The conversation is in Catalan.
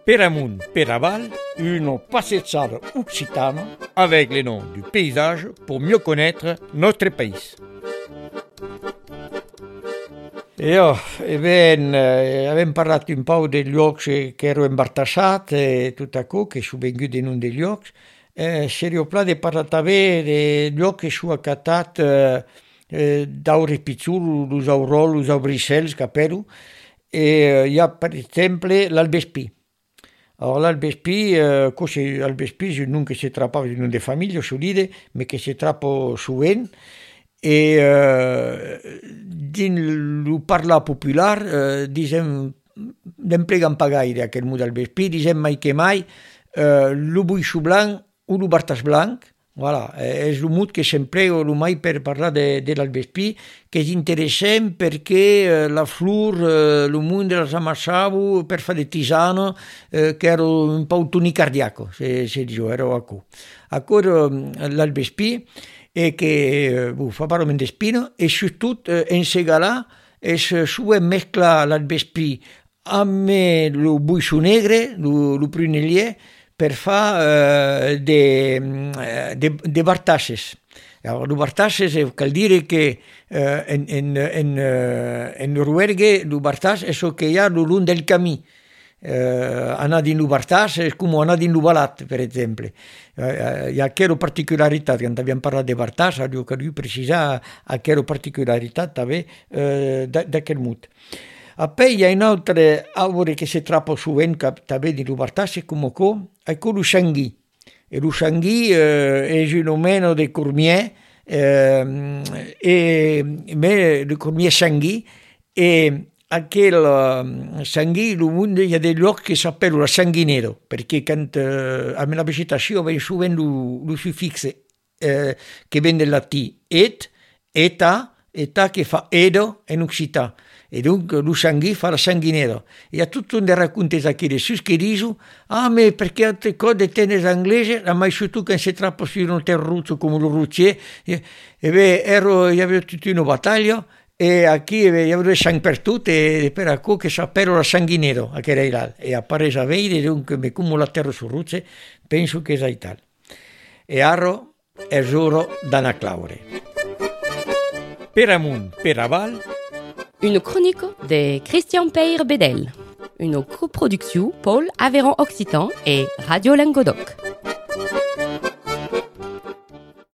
Per amunt, per aval, une passeggiata occitane avec les noms du paysage pour mieux connaître notre pays. Avem parlat un peu dels llocs que ero embartassat e tot això, que s'ho vengut en un dels llocs. Seria pla de parlar també de llocs que s'ho acatat d'aures pitjors, los aurors, los abricels, capero. Hi ha, per exemple, l'Albespí. Alors l'Albespí, l'Albespí és un nom que se trapa, un nom de família, solide, però que se trapa sovint. E dins el parlar popular, n'emplegam pas gaire aquest mot d'Albespí, dizem mai que mai lo buixo blanc o lo bartàs blanc. Voilà, és un mot que s'emplega mai per parlar de l'Albespí, que és interessant perquè la flor, el món de les amassavo per fer de tisana, que era un peu tonicardiaco, se diu, era acò. Acò l'Albespí, che fa parole d'espino, e soprattutto in Segalà su mescla l'Albespí amb lo buixo negre, lo prunellier, per fare de bartasses. Allora, lo bartasses cal dire che in Noruega lo bartas è ciò che hi ha lo long del camí. Anar dins lo bartàs és com anar dins lo balat, per exemple. Hi ha aquesta particularitat, quan havíem parlat de bartàs, ho cal precisar aquesta particularitat també d'aquest mot. Poi hi ha un altre arbre che si trappa sovint també dins lo bartàs, com è lo xanguí. E lo xanguí és un omeno de cormier, de cormier xanguí, e aquel sanguí, hi ha dei llocs que s'appellano la sanguinero, perché amb la vegetació ve sovint lo suffixe che viene del latí et, eta che fa edo in occità. E dunque lo sanguì fa la sanguinero. E a tutto un dei racconti qui de sus che dicono ma perché altre cose tennis inglese, la mai su tu che si trappa su un terruzzo come lo ruccier, io avevo tutta una battaglia, e qui io avevo sangue per tutto, e per acco che sapevo la sanguinero, che era là, e appare a vedere, dunque come la terra su rucce, penso che è tal. E arro è giuro da una claure. Per amunt, per aval. Une chronique de Christian Peyre-Bedel. Une coproduction Paul Aveyron Occitan et Radio Languedoc.